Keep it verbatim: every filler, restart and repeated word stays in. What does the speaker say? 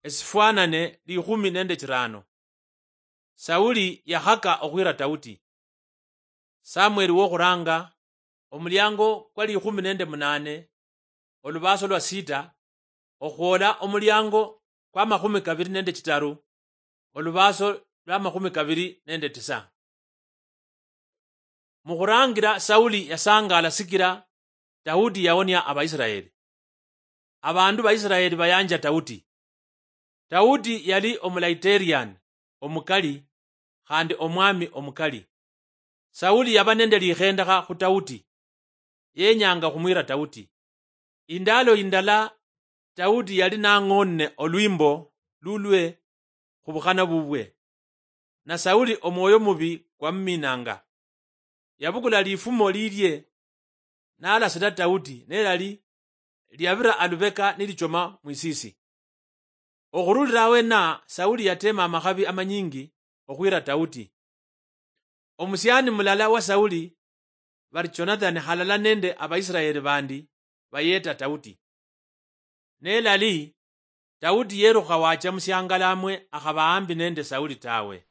esifwanane likhumi nende chirano. Sauli yakhaka okhwira Tauti. Samueli wokhuranga, omuliango kwa likhumi nende munane, olubaso lwa sita, okhwola omuliango kwa makhumi kabiri nende chitaru, olubaso lwa makhumi kabiri nende tisa. Mukhurangira Sauli yasangala sikira Tauti yaonia Abaisiraeli. Abandu ba Isiraeli bayanja Tauti. Tauti yali omulaiteriani omukali, khandi omwami omukali. Sauli yaba nende likhendekha khu Tauti, yenyanga khumwira Tauti. Indalo indala Tauti yali nang'onne olwimbo lulwe khubukhana bubwe, na Sauli omwoyo mubi kwamuminanga. Yabukula lifumo lilie, nalasira Tauti, nelali liabira alubeka nilichoma mwisisi. Okhurulira awena, Sauli yatema amakhabi amanyingi okhwira Tauti. Omusiani mulala wa Sauli bari Jonathani halala nende Abaisiraeli bandi bayeta Tauti. Nelali, Tauti yerukha wacha musiangala amwe akhaba ambi nende Sauli tawe.